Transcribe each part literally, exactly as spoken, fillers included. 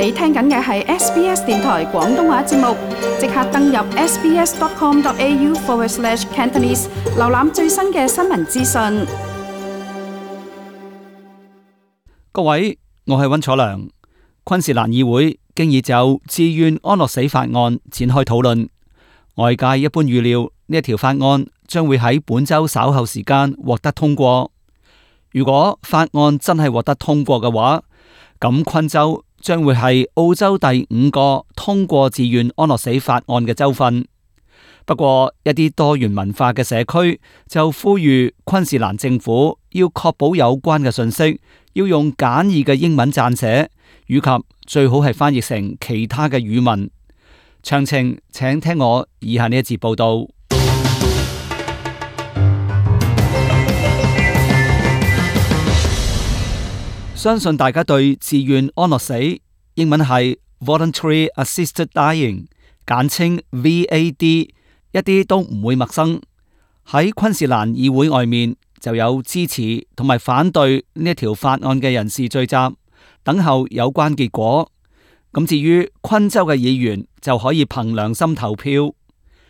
你聽緊嘅係 S B S 電台廣東話節目，即刻登入 sbs.com.au forward slash Cantonese， 瀏覽最新嘅新聞資訊。各位，我係溫楚良。昆士蘭議會經已就自願安樂死法案展開討論，外界一般預料呢一條法案將會喺本周稍後時間獲得通過。如果法案真係獲得通過嘅話，咁昆州將會係澳洲第五個通過自願安樂死法案嘅州份。不過一啲多元文化嘅社區就呼籲昆士蘭政府要確保有關嘅信息要用簡易嘅英文撰寫，以及最好係翻譯成其他嘅語文。詳情請聽我以下呢一節報道。相信大家對自願安樂死，英文係 Voluntary Assisted Dying， 簡稱 V A D， 一啲都唔會陌生。喺昆士蘭議會外面就有支持同埋反對呢一條法案嘅人士聚集，等候有關結果。咁至於昆州嘅議員就可以憑良心投票。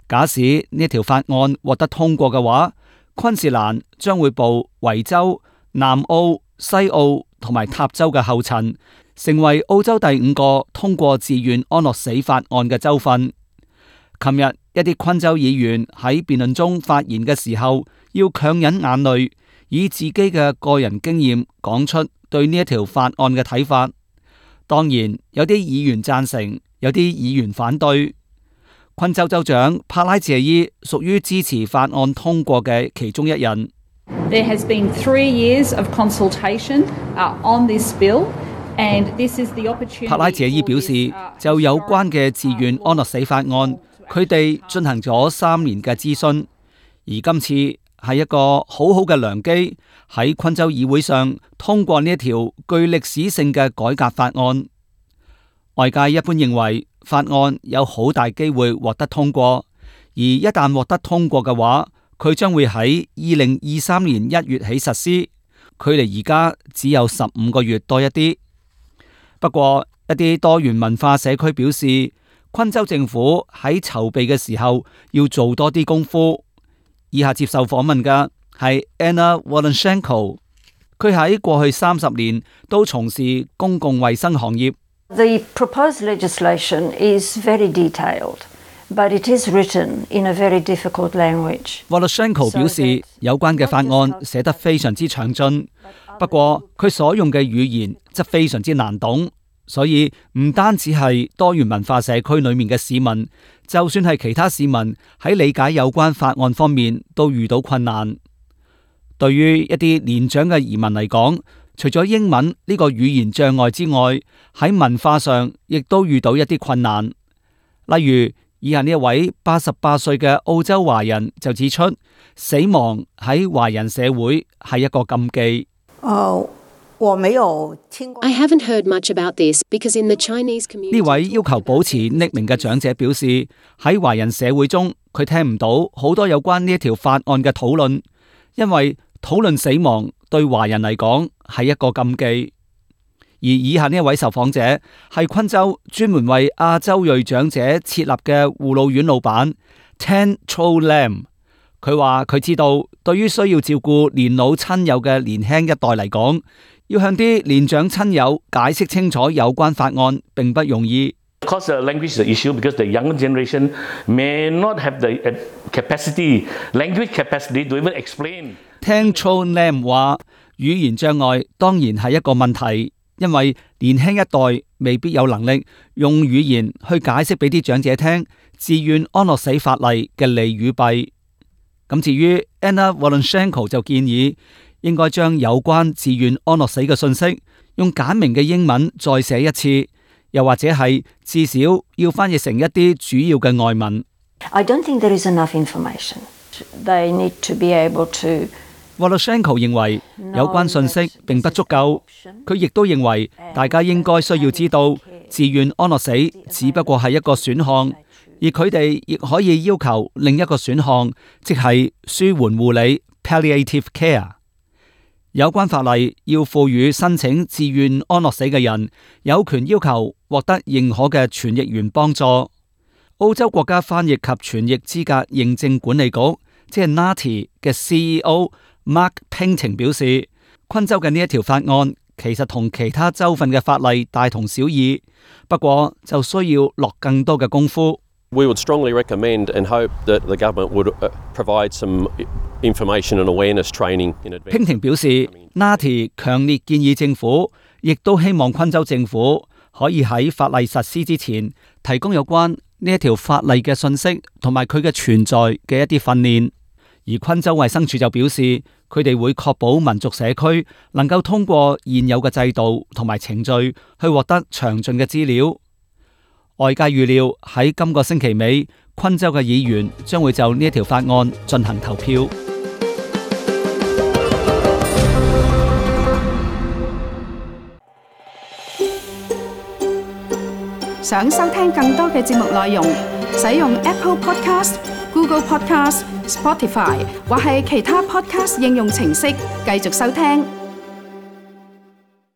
假使呢一條法案獲得通過嘅話，昆士蘭將會步維州、南澳、西澳同埋塔州嘅後塵，成為澳洲第五個通過自願安樂死法案嘅州份。琴日一啲昆州議員喺辯論中發言嘅時候，要強忍眼淚，以自己嘅個人經驗講出對呢一條法案嘅睇法。當然有啲議員贊成，有啲議員反對。昆州州長帕拉謝伊屬於支持法案通過嘅其中一人。There has been three years of consultation on this bill, and this is the opportunity. 帕拉謝伊表示，就有關嘅自願安樂死法案，佢哋進行咗三年嘅諮詢，而今次係一個好好嘅良機，喺昆州議會上通過呢一條具歷史性嘅改革法案。外界一般認為法案有好大機會獲得通過，而一旦獲得通過嘅話，佢將會喺二零二三年一月起實施，距離而家只有十五個月多一啲。不過一啲多元文化社區表示，昆州政府喺籌備嘅時候要做多啲功夫。以下接受訪問嘅係 Anna Wolonchenko， 佢喺過去三十年都從事公共衛生行業。The proposed legislation is very detailed.But it is written in a very difficult language. Wolonchenko 表示，有關嘅法案寫得非常之詳盡，不過佢所用嘅語言則非常之難懂，所以唔單止係多元文化社區裏面嘅市民，就算係其他市民喺理解有關法案方面都遇到困難。對於一啲年長嘅移民嚟講，除咗英文呢個語言障礙之外，喺文化上亦都遇到一啲困難，例如以下呢一位八十八歲嘅澳洲華人就指出，死亡喺華人社會係一個禁忌。哦，我沒有聽過。I haven't heard much about this because in the Chinese community。呢位要求保持匿名嘅長者表示，喺華人社會中，佢聽唔到好多有關呢一條法案嘅討論，因為討論死亡對華人嚟講係一個禁忌。而以下呢一位受訪者係昆州專門為亞洲裔長者設立嘅護老院老闆 Tan Cho Lam， 佢話佢知道對於需要照顧年老親友嘅年輕一代嚟講，要向啲年長親友解釋清楚有關法案並不容易。Because the language is the issue, because the younger generation may not have the capacity, language capacity to even explain. Tan Cho Lam 話語言障礙當然係一個問題。因為年輕一代未必有能力用語言去解釋俾啲長者聽自願安樂死法例嘅利與弊。咁至於 Anna Wolonchenko 就建議應該將有關自願安樂死嘅信息用簡明嘅英文再寫一次，又或者係至少要翻譯成一啲主要嘅外文。I don't think there is enough information. They need to be able to Wolonchenko 認為有關信息並不足夠，佢亦都認為大家應該需要知道自願安樂死只不過係一個選項，而佢哋亦可以要求另一個選項，即係舒緩護理 （palliative care）。有關法例要賦予申請自願安樂死嘅人有權要求獲得認可嘅傳譯員幫助。澳洲國家翻譯及傳譯資格認證管理局即係 N A T I 嘅 C E O Mark Painting 表示，昆州嘅呢一條法案其實同其他州份嘅法例大同小異，不過就需要落更多嘅功夫。We would strongly recommend and hope that the government would provide some information and awareness training in advance. Painting 表示 N A T I 強烈建議政府，亦都希望昆州政府可以喺法例實施之前提供有關呢一條法例嘅信息同埋佢嘅存在嘅一啲訓練。而昆州衛生署就表示，佢哋會確保民族社區能夠通過現有嘅制度同埋程序去獲得詳盡嘅資料。外界預料喺今個星期尾，昆州嘅議員將會就呢一條法案進行投票。想收聽更多嘅節目內容，使用 Apple Podcast、Google Podcast、Spotify 或係其他 Podcast 應用程式繼續收聽。